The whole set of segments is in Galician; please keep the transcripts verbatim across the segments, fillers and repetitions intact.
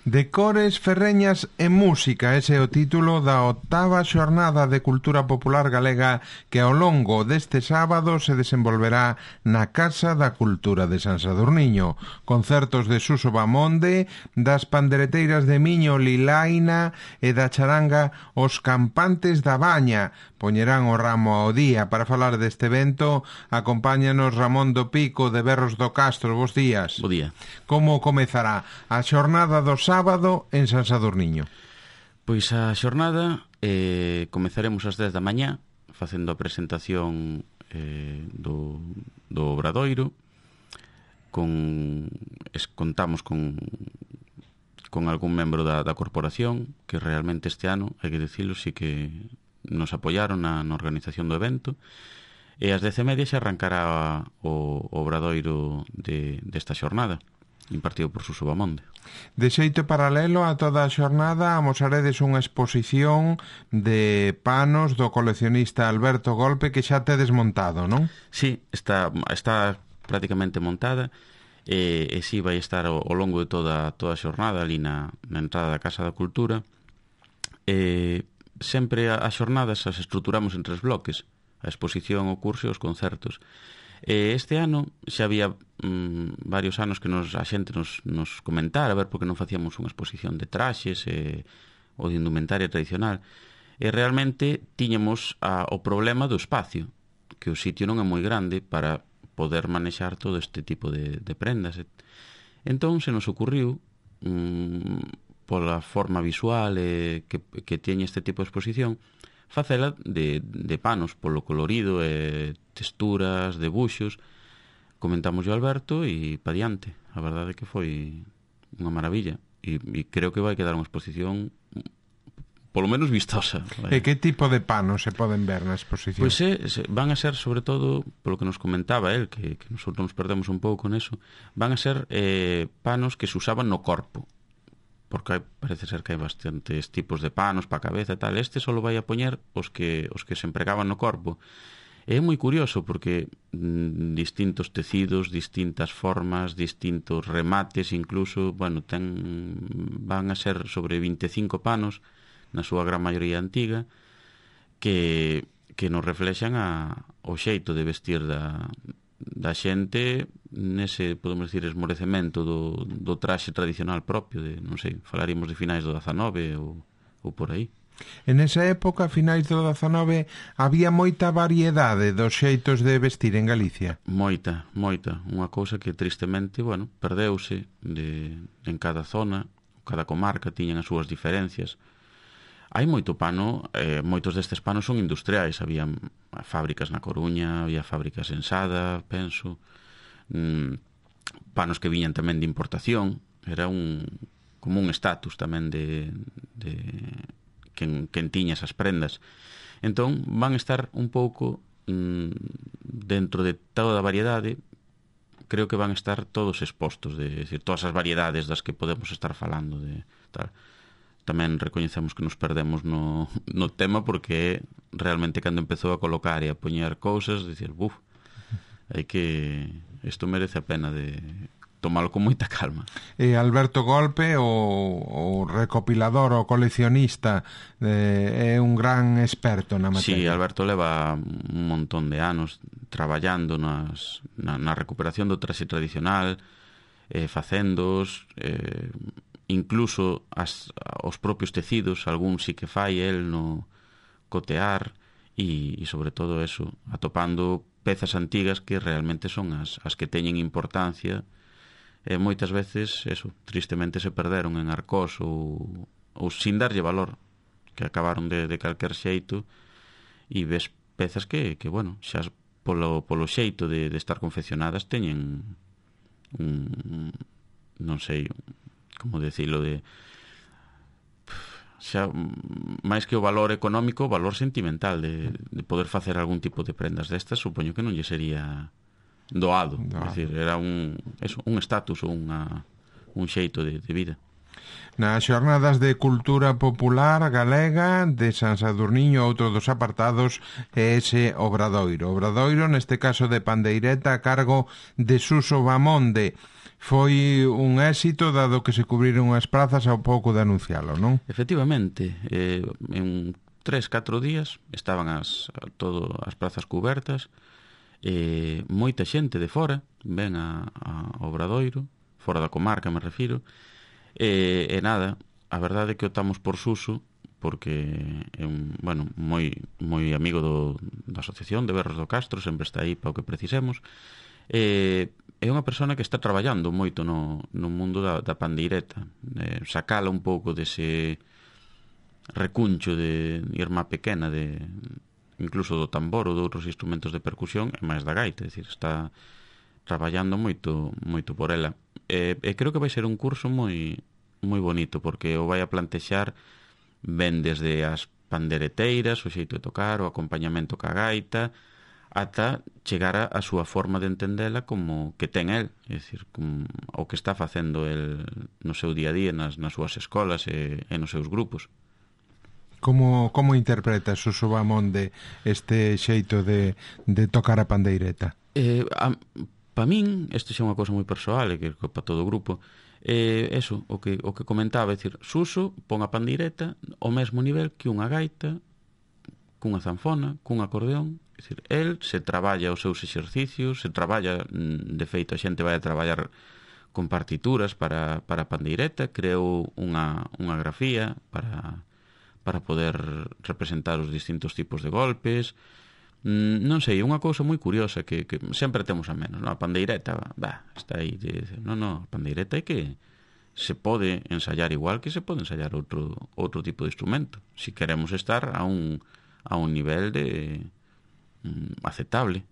De cores, ferreñas e música, ese é o título da octava xornada de cultura popular galega que ao longo deste sábado se desenvolverá na Casa da Cultura de San Sadurniño. Concertos de Suso Bamonde, das pandereteiras de Miño Lilaina e da charanga Os Campantes da Baña. Poñerán o ramo ao día. Para falar deste evento, acompáñanos Ramón do Pico de Berros do Castro. Bos días. Bo día. Como comezará a xornada do sábado en San Sadurniño? Pois a xornada eh, comezaremos ás dez da mañá facendo a presentación eh, do, do Obradoiro. Con, es, contamos con con algún membro da, da corporación que realmente este ano, hai que dicilo, sí que nos apoiaron na, na organización do evento, e ás dez e media xa arrancará o, o Obradoiro de, desta xornada, impartido por Suso Bamonde. De xeito paralelo a toda a xornada amosaredes unha exposición de panos do coleccionista Alberto Golpe que xa tedes montado, non? Sí, está, está prácticamente montada e, e sí vai estar ao, ao longo de toda, toda a xornada ali na, na entrada da Casa da Cultura. E sempre as xornadas as estruturamos en tres bloques: a exposición, o curso e os concertos. E este ano xa había mm, varios anos que nos, a xente nos, nos comentara a ver por que non facíamos unha exposición de traxes e, ou de indumentaria tradicional. E realmente tiñamos a, o problema do espacio, que o sitio non é moi grande para poder manexar todo este tipo de, de prendas. Entón se nos ocurriu, mm, pola forma visual eh, que, que teñe este tipo de exposición, facela de, de panos, polo colorido, e texturas, debuxos. Comentamos o Alberto e pa diante. A verdade é que foi unha maravilla e, e creo que vai quedar unha exposición polo menos vistosa. E que tipo de panos se poden ver na exposición? Pois é, van a ser, sobre todo, polo que nos comentaba el, que, que nosotros nos perdemos un pouco neso, van a ser eh, panos que se usaban no corpo, porque hai, parece ser que hai bastantes tipos de panos para a cabeza e tal. Este só vai a poñer os que os que se empregaban no corpo. E é moi curioso porque mm, distintos tecidos, distintas formas, distintos remates, incluso, bueno, ten, van a ser sobre vinte e cinco panos, na súa gran maioría antiga, que, que nos reflexan a, o xeito de vestir da, da xente nese, podemos decir, esmorecemento do, do traxe tradicional propio de, non sei, falaríamos de finais do dezanove ou, ou por aí. En esa época, finais do dezanove, había moita variedade dos xeitos de vestir en Galicia. Moita, moita. Unha cousa que tristemente, bueno, perdeuse de, en cada zona, cada comarca tiñan as súas diferencias. Hai moito pano, eh, moitos destes panos son industriais. Había fábricas na Coruña, había fábricas en Sada, penso, mm, panos que viñan tamén de importación. Era un como un estatus tamén de, de quen, quen tiña esas prendas. Entón van estar un pouco mm, dentro de toda a variedade. Creo que van estar todos expostos, de decir, todas as variedades das que podemos estar falando de tal. Tamén recoñecemos que nos perdemos no, no tema, porque realmente cando empezou a colocar e a poñer cousas, dicir, buf, hai que, isto merece a pena de tomalo con moita calma. E Alberto Golpe, o, o recopilador, o coleccionista, eh, é un gran experto na materia. Sí, Alberto leva un montón de anos traballando nas, na, na recuperación do traxe tradicional, eh, facendos, eh, incluso as, os propios tecidos, algún sí que fai el no cotear e, e sobre todo eso, atopando pezas antigas que realmente son as, as que teñen importancia e moitas veces, eso, tristemente se perderon en Arcós ou, ou sin darlle valor, que acabaron de, de calquer xeito, e ves pezas que, que bueno, xa polo, polo xeito de, de estar confeccionadas teñen un, non sei, como decirlo, de xa máis que o valor económico, o valor sentimental de, de poder facer algún tipo de prendas destas. Supoño que non lle sería doado, doado. É dicir, era un eso, un estatus ou unha, un xeito de, de vida. Nas xornadas de cultura popular galega de San Sadurniño, outro dos apartados é ese Obradoiro. Obradoiro, neste caso de pandeireta, a cargo de Suso Bamonde. foi un éxito dado que se cubriron as prazas ao pouco de anuncialo, non? Efectivamente, eh, en tres, catro días estaban as, todo as prazas cubertas, eh, moita xente de fora ven a, a Obradoiro, fora da comarca me refiro, e, e nada, a verdade é que optamos por Suso porque é un, bueno, moi, moi amigo do, da Asociación de Berros do Castro, sempre está aí para o que precisemos, e é unha persona que está traballando moito no, no mundo da, da pandeireta, eh, sacala un pouco dese recuncho de irmá pequena, de incluso do tambor ou de outros instrumentos de percusión e máis da gaita, é dicir, está traballando moito moito por ela. E, e creo que vai ser un curso moi moi bonito, porque o vai a plantexar ben desde as pandereteiras, o xeito de tocar, o acompañamento ca gaita, ata chegar a, a súa forma de entendela como que ten el, é dicir, como, o que está facendo el no seu día a día nas, nas súas escolas e, e nos seus grupos. Como, como interpreta Suso Bamonde este xeito de, de tocar a pandeireta? Eh, pa min, isto xa é unha cousa moi persoal e que para todo o grupo, eh, eso, o que, o que comentaba, é dicir, Suso pon a pandeireta ao mesmo nivel que unha gaita, cunha zanfona, cun acordeón, é dicir, el se traballa os seus exercicios, se traballa, de feito a xente vai a traballar con partituras para, para a pandeireta, creou unha, unha grafía para para poder representar os distintos tipos de golpes. Mm, non sei, unha cousa moi curiosa que, que sempre temos a menos, non? A pandeireta, bah, está aí, non, non, a pandeireta é que se pode ensayar igual que se pode ensayar outro outro tipo de instrumento, si queremos estar a un a un nivel de mm, aceptable,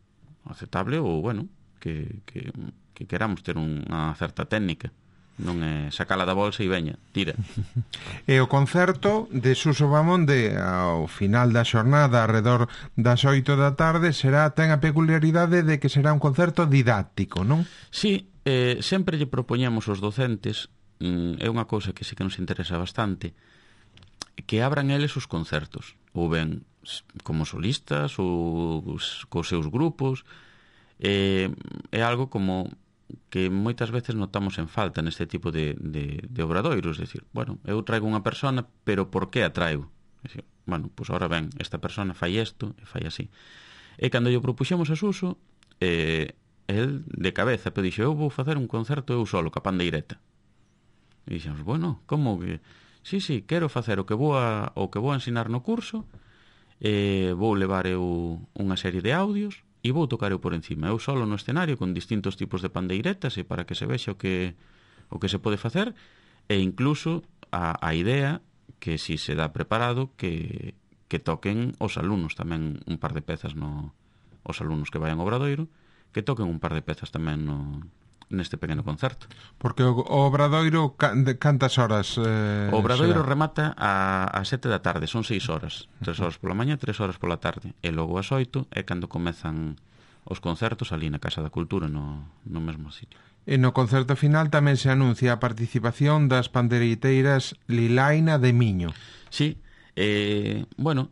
aceptable ou, bueno, que, que, que queramos ter unha certa técnica. Non é sacala da bolsa e veña, tira. E o concerto de Suso Bamonde ao final da xornada arredor das oito da tarde será, ten a peculiaridade de que será un concerto didáctico, non? Sí, eh, sempre lle propoñemos aos docentes, mm, é unha cousa que sí que nos interesa bastante, que abran eles os concertos, ou ben como solistas ou cos seus grupos. eh, é algo como que moitas veces notamos en falta neste tipo de, de, de obradoiros, é dicir, bueno, eu traigo unha persona, pero por que a traigo? É dicir, bueno, pois pues ahora ben, esta persona fai isto e fai así. E cando lle propuxemos a Suso, eh, el de cabeza, pero dixo, eu vou facer un concerto eu solo, ca pandeireta. E dixemos, bueno, como que... Sí, sí, quero facer o que vou a, o que vou a ensinar no curso, eh, vou levar eu unha serie de audios, e vou tocar eu por encima, eu solo no escenario con distintos tipos de pandeiretas e para que se vexa o que o que se pode facer, e incluso a, a idea que si se dá preparado que, que toquen os alumnos tamén un par de pezas no, os alumnos que vayan ao Obradoiro, que toquen un par de pezas tamén no, neste pequeno concerto. Porque o, o Obradoiro de cantas horas eh, o Obradoiro será? remata a, a sete da tarde, son seis horas, tres horas pola mañá, tres horas pola tarde, e logo ás oito é cando comezan os concertos ali na Casa da Cultura, no, no mesmo sitio. E no concerto final tamén se anuncia a participación das pandereiteiras Lilaina de Miño. Sí, eh, bueno,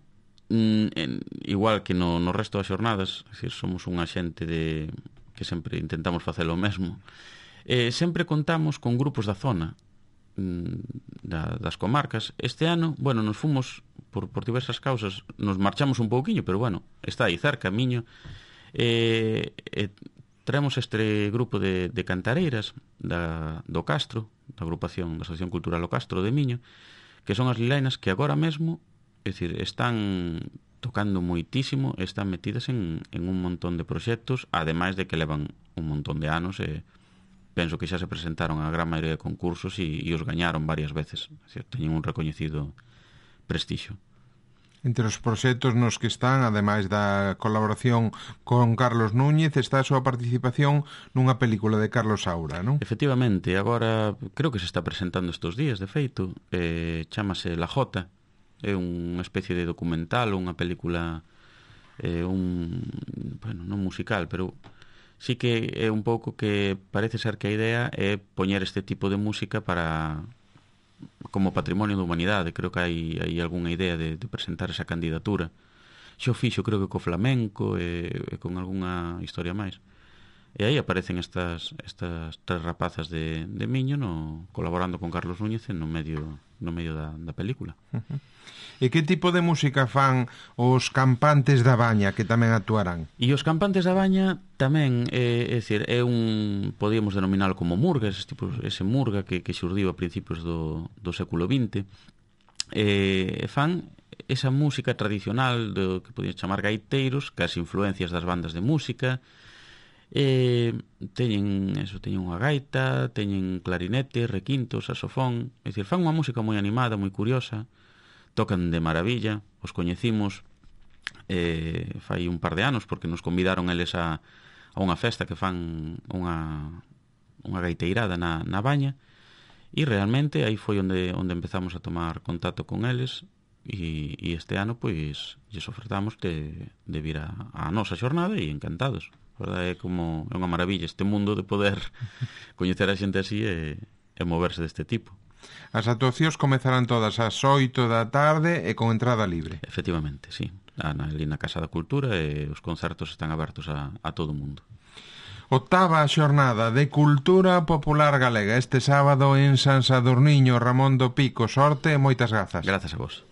mm, en, igual que no, no resto das xornadas, é dicir, somos unha xente de que sempre intentamos facelo o mesmo, eh, sempre contamos con grupos da zona, mm, da, das comarcas. Este ano, bueno, nos fomos por, por diversas causas, nos marchamos un pouquiño, pero bueno, está aí cerca, Miño. E, e traemos este grupo de, de cantareiras da, do Castro, da agrupación da Asociación Cultural O Castro de Miño, que son as lilainas que agora mesmo, é dicir, están tocando moitísimo, están metidas en, en un montón de proxectos, ademais de que levan un montón de anos e penso que xa se presentaron a gran maioría de concursos e, e os gañaron varias veces, é dicir, teñen un recoñecido prestixio. Entre os proxectos nos que están, ademais da colaboración con Carlos Núñez, está a súa participación nunha película de Carlos Saura, non? Efectivamente, agora creo que se está presentando estes días, de feito, eh, chámase La Jota, é unha especie de documental, unha película, eh, un, bueno, non musical, pero sí que é un pouco que parece ser que a idea é poñer este tipo de música para... como patrimonio da humanidade. Creo que hai, hai algunha idea de, de presentar esa candidatura. Xo fixo, creo que co flamenco e, e con algunha historia máis. E aí aparecen estas, estas tres rapazas de, de Miño no, colaborando con Carlos Núñez no medio, no medio da, da película. Uh-huh. E que tipo de música fan os Campantes da Baña, que tamén actuarán? E os Campantes da Baña tamén, é, é dicir, é un, podíamos denominálo como murga, ese, tipo, ese murga que, que xurdiu a principios do, do século vinte. E fan esa música tradicional do que podíamos chamar gaiteiros, que as influencias das bandas de música. E teñen eso, teñen unha gaita, teñen clarinete, requinto, saxofón, é dicir, fan unha música moi animada, moi curiosa, tocan de maravilla, os coñecimos eh, fai un par de anos porque nos convidaron eles a, a unha festa que fan unha, unha gaiteirada na, na Baña, e realmente aí foi onde, onde empezamos a tomar contacto con eles, e, e este ano pois lles ofertamos de, de vir a, a nosa xornada e encantados. Verdade, é como é unha maravilla este mundo de poder coñecer a xente así e, e moverse deste tipo. As actuacións comezarán todas ás oito da tarde e con entrada libre. Efectivamente, sí. Ali na Casa da Cultura e os concertos están abertos a, a todo o mundo. Octava xornada de Cultura Popular Galega este sábado en San Sadurniño. Ramón do Pico, sorte e moitas grazas. Grazas a vos.